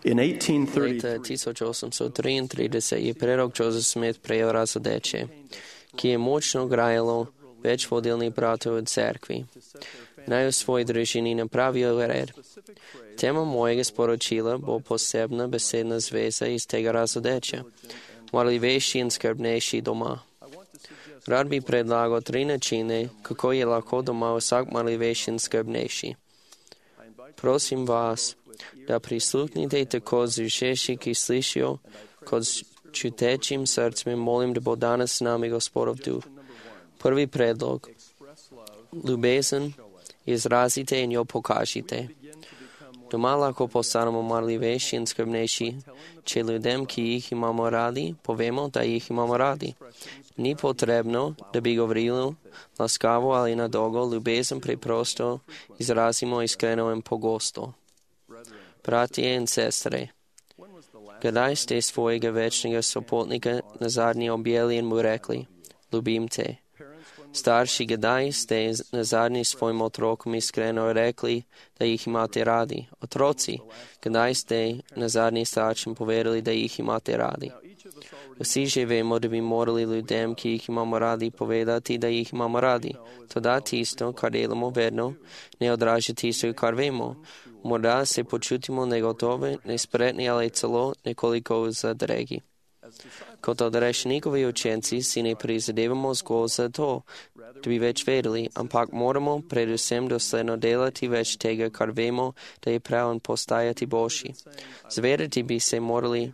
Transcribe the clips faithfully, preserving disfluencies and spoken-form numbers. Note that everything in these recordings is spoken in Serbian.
In eighteen Leta thirty-three, tisuće osamsto triintrideset je prerok Joseph Smith prejel razodeće, ki je močno grajalo već vodilnih bratov od cerkvi. Naj u svoj družini napravio red. Tema mojega sporočila bo posebna besedna zveza iz tega razodeća, marljivejši in skrbnejši doma. Rad bi predlagal tri načine, kako je lahko doma vsak marljivejši in skrbnejši. Prosim vas, da prisluhnite tako z ušeši, ki slišijo, kot s čutečim srcem molim, da bo danes s nami Gospodov duh. Prvi predlog. Ljubezen izrazite in jo pokažite. Doma lahko postanemo marljivejši in skrbnejši, če ljudem, ki jih imamo radi, povemo, da jih imamo radi. Ni potrebno, da bi govorili laskavo ali na dolgo, ljubezen preprosto izrazimo iskreno in pogosto. Bratje in sestre, kdaj ste svojega večnega sopotnika nazadnje objeli in mu rekli, ljubim te? Starši, kdaj ste nazadnje svojim otrokom iskreno rekli, da jih imate radi? Otroci, kdaj ste nazadnje staršem povedali, da jih imate radi? Vsi že vemo, da bi morali ljudem, ki jih imamo radi, povedati, da jih imamo radi. Toda tisto, kar delamo vedno, ne odraža tisto, kar vemo. Morda se počutimo negotove, nespretni ali celo nekoliko zadregi. Kot odrešnikovi učenci si ne prizadevamo zgolj za to, da bi več vedeli, ampak moramo predvsem dosledno delati več tega, kar vemo, da je prav in postajati boljši. Zavedati bi se morali,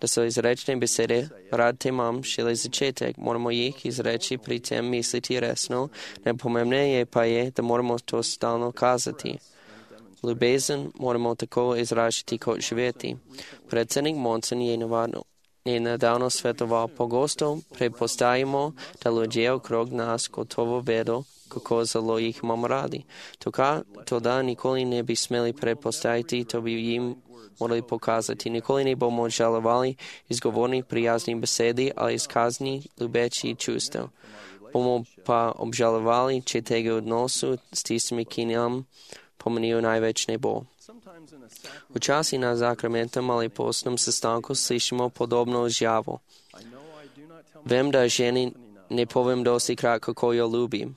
da so izrečne besede, rad te imam, šele začetek, moramo jih izreči, pri tem misliti resno, najpomembneje pa je, da moramo to stalno kazati. Ljubezen moramo tako izražiti kot živeti. Predsednik Monson je navadno je nedavno svetoval, pogosto prepostajamo, da ljudje okrog nas gotovo vedo, kako zelo jih imamo radi. To da nikoli ne bi smeli prepostajati, to bi jim morali pokazati. Nikoli ne bomo žalovali izgovornih prijaznih besedi ali izkazni ljubeči čustev. Bomo pa obžalovali, če tega odnosu s tistimi, ki nam pomenijo največ ne bo. Včasih na zakramentem ali postnem sestanku slišimo podobno izjavo. Vem, da ženi ne povem dosti krat, kako jo ljubim.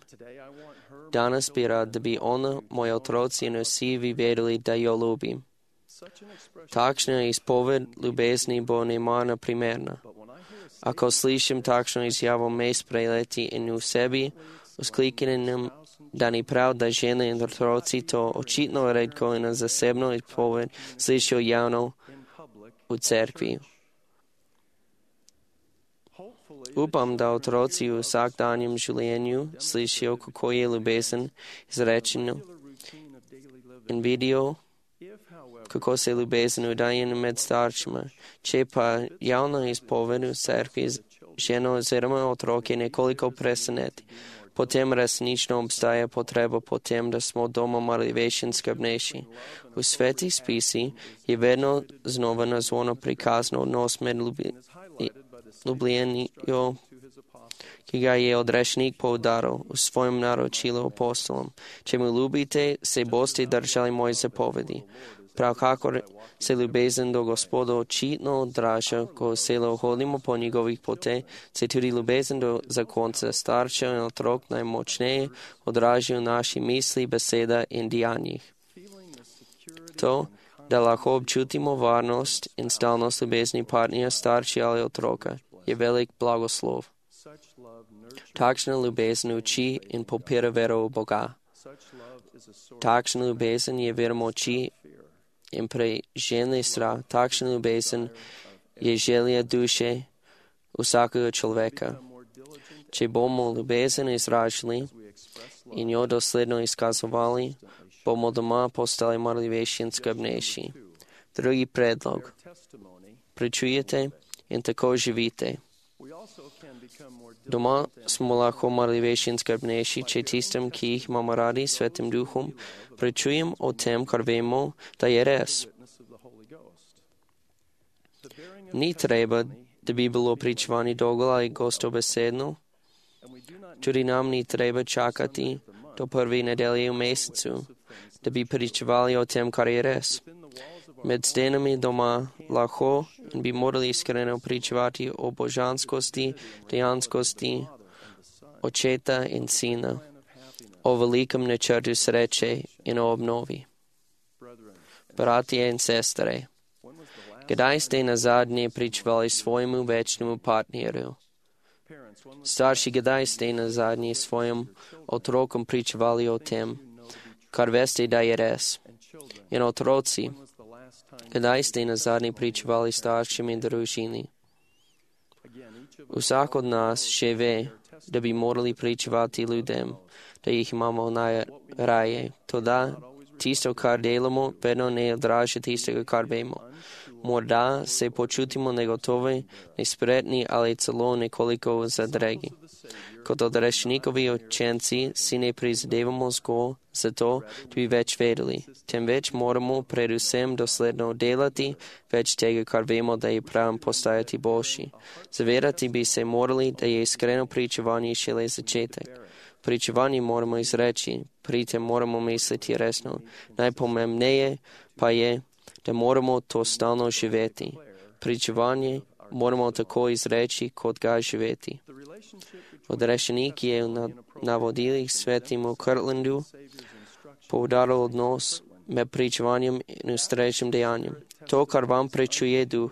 Danes bi rad, da bi ona, moji otroci in vsi vi vedeli, da jo ljubim. Takšna izpoved ljubezni bo nemarna primerna. Ako slišim takšno izjavo me sprejeti in v sebi vzkliknem, da ni prav, da žene in otroci to očitno redko in zasebno izpoved slišijo javno v cerkvi. Upam, da otroci v vsakdanjem življenju slišijo, kako je ljubezen izrečeno in vidijo, kako se ljubezen udaje med staršima. Če pa javna izpoved v cerkvi ženo oziroma otroke nekoliko preseneti, potem resnično obstaja potreba potem, da smo doma marljivejši in skrbnejši. V svetih spisi je vedno znova nazvano prikazno odnos med ljubljenijo, ki ga je odrešnik poudaril v svojem naročilu apostolom. Če me ljubite, se boste držali moje zapovedi. Prav kakor se ljubezen do Gospoda očitno odraža, ko se hodimo po njegovih poteh, se tudi ljubezen do zakonca staršev in otrok najmočneje odraža v naši misli, beseda in dejanjih. To, da lahko občutimo varnost in stalnost ljubezni partnerja, starši ali otroka, je velik blagoslov. Takšna ljubezen uči in podpira vero v Boga. Takšna ljubezen je vera moči in preženli strah. Takšna ljubezen je želja duše vsakega človeka. Če bomo ljubezen izražili in jo dosledno izkazovali, bomo doma postali marljivejši in skrbnejši. Drugi predlog. Pričujete in tako živite. Doma smo lahko marljivejši in skrbnejši, če tistem, ki jih imamo radi, svetim duhom, pričujem o tem, kar vemo, da je res. Ni treba, da bi bilo pričevanje dolgo ali gostobesedno. Tudi nam ni treba čakati do prve nedelje v mesecu, da bi pričevali o tem, kar je res. Med stenami doma lahko in bi morali iskreno pričevati o božanskosti, dejanskosti Očeta in Sina, o velikem načrtu sreče in o obnovi. Bratje in sestre, kdaj ste nazadnje pričevali svojemu večnemu partnerju? Starši, kdaj ste nazadnje svojim otrokom pričevali o tem, kar veste, da je res? In otroci, kdaj ste nazadnje pričevali staršem in družini? Vsak od nas še ve, da bi morali pričevati ljudem, da jih imamo najraje. Toda tisto, kar delamo, vedno ne odraža tistega, kar vemo. Morda se počutimo negotovi, nespretni ali celo nekoliko zadregi. Kot odrešnikovi učenci si ne prizadevamo zgolj zato, da bi več vedeli, temveč moramo predvsem dosledno delati več tega, kar vemo, da je prav postajati boljši. Zavedati bi se morali, da je iskreno pričevanje šele začetek. Pričevanje moramo izreči, pri tem moramo misliti resno. Najpomembneje pa je, da moramo to stalno živeti. Pričevanje moramo tako izreči, kot ga živeti. Odrešenik je v navodilih svetimu Kirtlandu poudaril odnos med pričevanjem in ustreznim dejanjem. To, kar vam prečuje duh,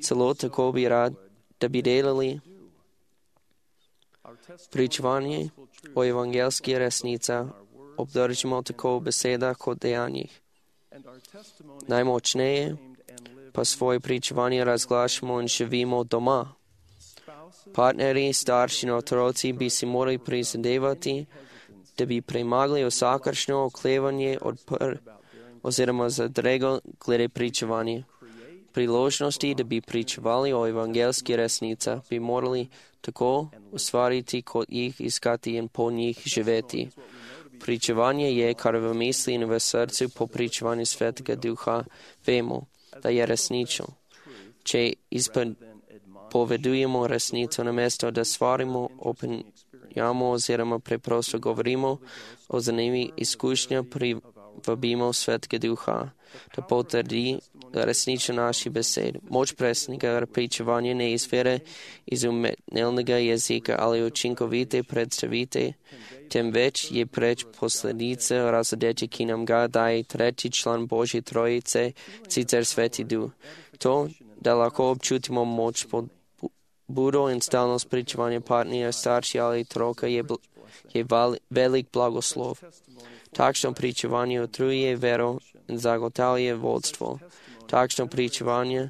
celo tako bi rad, da bi delali. Pričevanje o evangelski resnica obdržimo tako v besedah kot dejanjih. Najmočneje pa svoje pričevanje razglašamo in živimo doma. Partnerji, starši in otroci bi si morali prizadevati, da bi premagali vsakršno oklevanje odpr oziroma zadrego glede pričevanja. Priložnosti, da bi pričevali o evangelski resnici, bi morali tako ustvariti, kot jih iskati in po njih živeti. Pričevanje je, kar v misli in v srcu po pričevanju Svetega Duha vemo, da je resnično. Če izpovedujemo resnico namesto, da svarimo, opinjamo oziroma preprosto govorimo o zanimivih izkušnjah, privabimo Svetega Duha, da potrdi resnično naši besed. Moč presnega pričevanja ne izvire iz umetnega jezika ali učinkovite predstavite, temveč je preč posledica razodeče, ki nam ga daje tretji član Božje trojice, sicer Sveti Duh. To, da lahko občutimo moč pod budo in stalnost pričevanja partnerja, starši ali otroka, je, je velik blagoslov. Takšno pričevanje utrjuje vero in zagotavlja vodstvo. Takšno pričevanje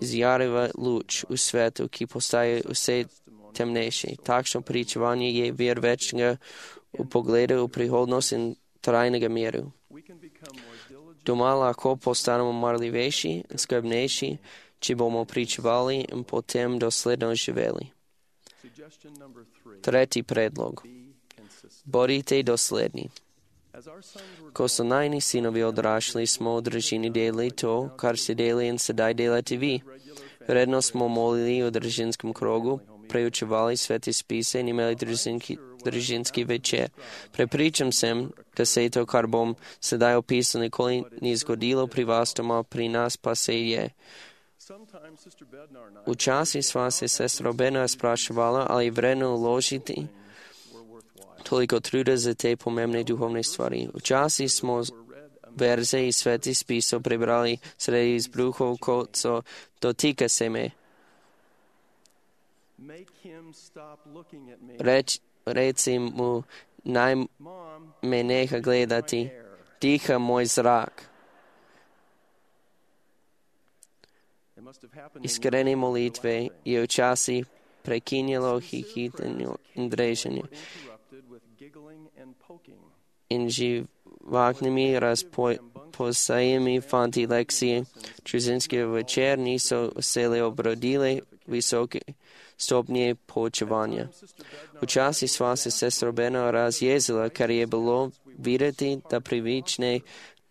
izjareva luč v svetu, ki postaje vse temnejši. Takšno pričevanje je vir večnega v pogledu v prihodnost in trajnega miru. Doma lahko postanemo marljivejši in skrbnejši, če bomo pričevali in potem dosledno živeli. Tretji predlog. Bodite dosledni. Ko so najni sinovi odrašli, smo v družini delali to, kar se deli in sedaj delate vi. Redno smo molili v družinskem krogu, preučevali svete spise in imeli družinski, družinski večer. Prepričan sem, da se je to, kar bom sedaj opisal, nikoli ni zgodilo pri vas doma, pri nas pa se je. Včasih sva se sestro Bednar spraševala, ali vredno vložiti toliko truda za te pomembne duhovne stvari. Včasih smo verze iz svetih spisov prebrali sredi izbruhov, kot so dotika se me. Reč, reci mu, naj me neha gledati, diha moj zrak. Iskrene molitve je včasih prekinjalo hihitenje in dreženje. In živahnymi razposajemi fanti lekcije družinske večer niso vsele obrodile visoke stopnje poučevanja. Včasih sva se sestro Bednar razjezila, ker je bilo videti, da pravične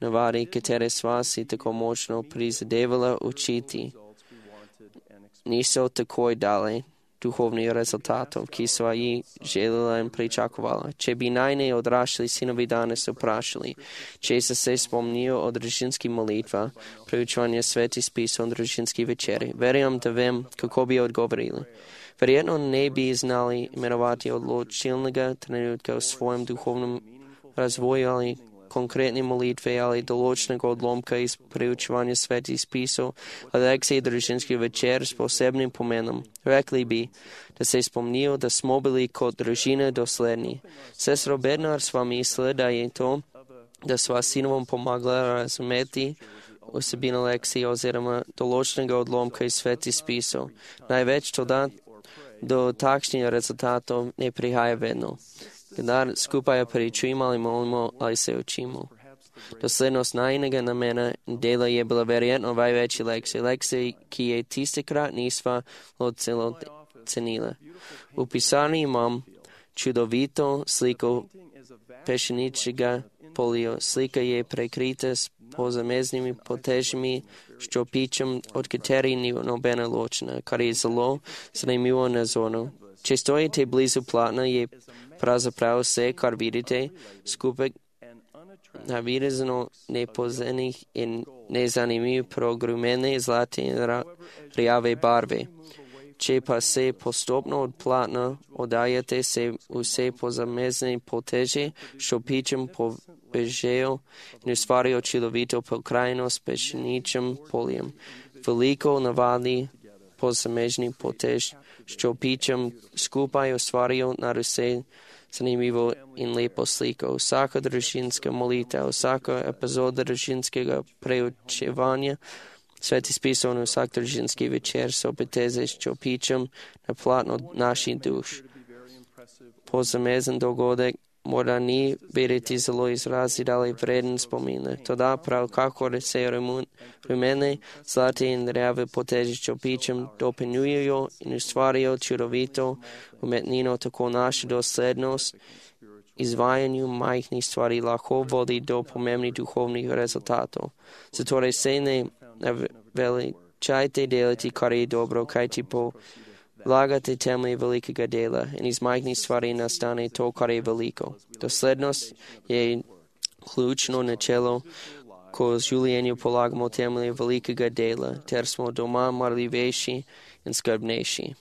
navade, katere sva si tako močno prizadevala učiti, niso takoj dale духовни резултатов, ки свои желала им причакувала. Че би най-не одрашли синови дане са прашали, че са се спомнил от дружински молитва, приучвания свети спис от дружински вечери. Верям да вем какво би отговорили. Вероятно не би знали именовати отлучилнага тренутка в своем духовном развою, али конкретни молитви, али долочнага отломка из приучвания свети списо, а лекции дружински вечер с посебним поменом. Рекли би да се спомнил да смо били кod дружина доследни. Сестро Беднар с вами следа и то, да с вас синовом помогла разумети особина лекции озирама долочнага отломка из свети списо. Най-вече тогда до такшния резултатов не прихая ведно. Когда скупая причуємо, али молимо, али се учимо. Доследност най-нега на мене дела е bila вероятно най-вече лекция. Лекция, ки е тисекрат нисва от ценила. У писарни имам чудовито слико пешеничега полио. Слика е прекрита с позамезними потежами, що пичам от катери ни нобена лочна, кари зло сремило на зону. Че стоите близо платна е празаправо се, кар видите, скупек навирезано непозених и незанимив прогрумени злати ряве барви. Че па се поступно от платна отдаяте се усе позамезни потежи, що пичам по бежео и сварио чиловито покрайно с пешеничим полием. Велико навали позамежни потеж, що пичам скупаю сварио на русе занимиво и лепо слико. Всяка дружинска молитва, всяка епизода дружинского преучевания, Свети списано всяк дружински вечер с опитезе, що пичам на платно наши душ. Позамезен догодек мора ни берети зло изрази дали вреден спомина. Тода прав како се румене, злати и ряве потежи, що пичам, допенюjo и ustvario чудовито уметнино, тако наша доследност изваянju majhnih stvari lahko vodi do pomembnih duhovnih rezultatov. Zatorej se ne veličajte delati, kar je dobro, kajti polagate temelje velikega dela in iz majhnih stvari nastane to, kar je veliko. Doslednost je ključno načelo, ko z življenju polagamo temelje velikega dela, ter smo doma marljivejši in skrbnejši.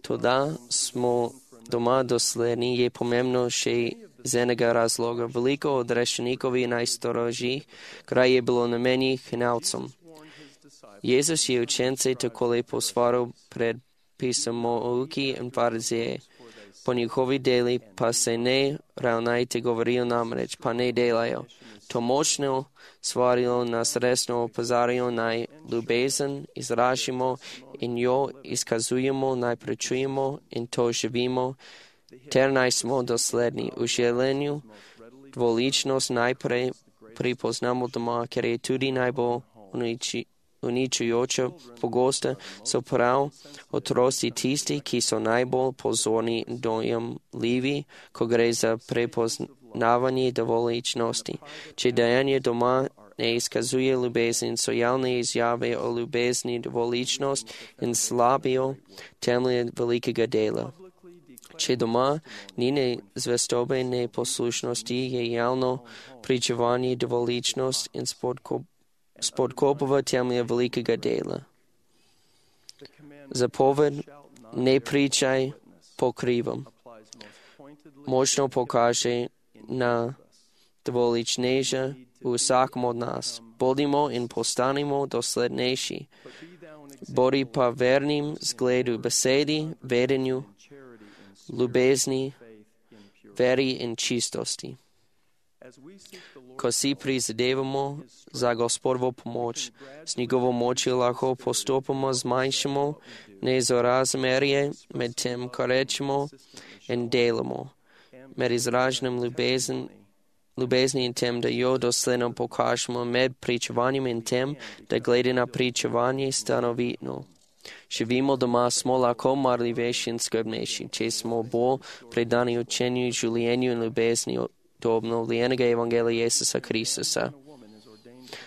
Toda smo doma dosledni je pomembno še z enega razloga. Veliko od rešenikovi najstrožjih kraj je bilo namenjenih hinavcom. Jezus je učence tako lepo svaril pred pisamouki in farizeje. Po njihovi deli pa se ne ravnajte, govorijo namreč, pa ne delajo. To močno svarilo nas resno opozarjajo, naj ljubezen izražimo in jo izkazujemo, naj prečujemo in to živimo, ter naj smo dosledni. V želenju dvoličnost najprej pripoznamo doma, ker je tudi najbolj uniči, uničujoča pogosta, so prav otroci tisti, ki so najbolj pozorni in dojemljivi, ko gre za prepoznavanje dvoličnosti. Če dejanje doma ne izkazuje ljubezen, so javne izjave o ljubezni dvoličnost in slabijo temelje velikega dela. Če doma ni ne zvestobe, ne poslušnosti, je javno pričevanje dvoličnost in spodkopava temelje velikega dela. Zapoved ne pričaj pokrivam. Močno pokaže na dvoličneža v vsakom od nas. Bodimo in postanimo doslednejši. Bodi pa vernim zgledu besedi, vedenju, ljubezni, veri in čistosti. Ko si prizadevamo za Gospodovo pomoč, s njegovo močjo lahko postopoma zmanjšamo nesorazmerje med tem, kar rečemo in delamo, med izraženjem ljubezen, ljubezni in tem, da jo dosledno pokažemo, med pričevanjem in tem, da glede na pričevanje stanovitno. Živimo doma, smo lahko marljivejši in skrbnejši, če smo bolj predani učenju, življenju in ljubezni do obnovljenega evangelija Jezusa Kristusa.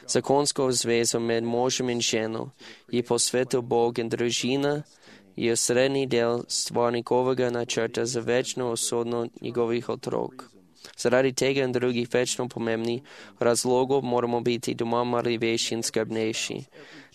Zakonsko zvezo med možem in ženo je posvetil Bog in družina i osrednji del stvarnikovega načrta za večno usodno njegovih otrok. Zaradi tega in drugih večno pomembnih razlogov moramo biti doma marljivejši in skrbnejši.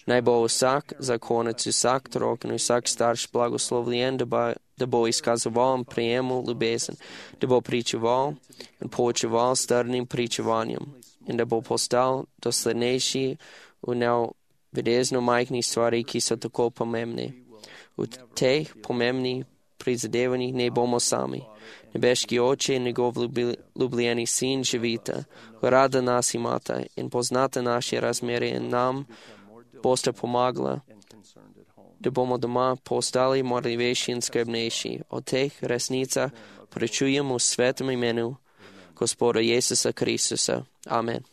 Naj bo vsak zakonec, vsak otrok in vsak starš blagoslovljen, da bo, da bo izkazoval in prijemul ljubezen, da bo pričeval in poučeval strnim pričevanjem in da bo postal doslednejši v nevidezno majhnih stvari, ki so tako pomembne. V teh pomembnih prizadevanjih ne bomo sami. Nebeški oče in njegov ljubljeni sin živita, rada nas imata in poznata naše razmere in nam boste pomagala, da bomo doma postali marljivejši in skrbnejši. O teh resnicah prečujemo v svetem imenu Gospoda Jezusa Kristusa. Amen.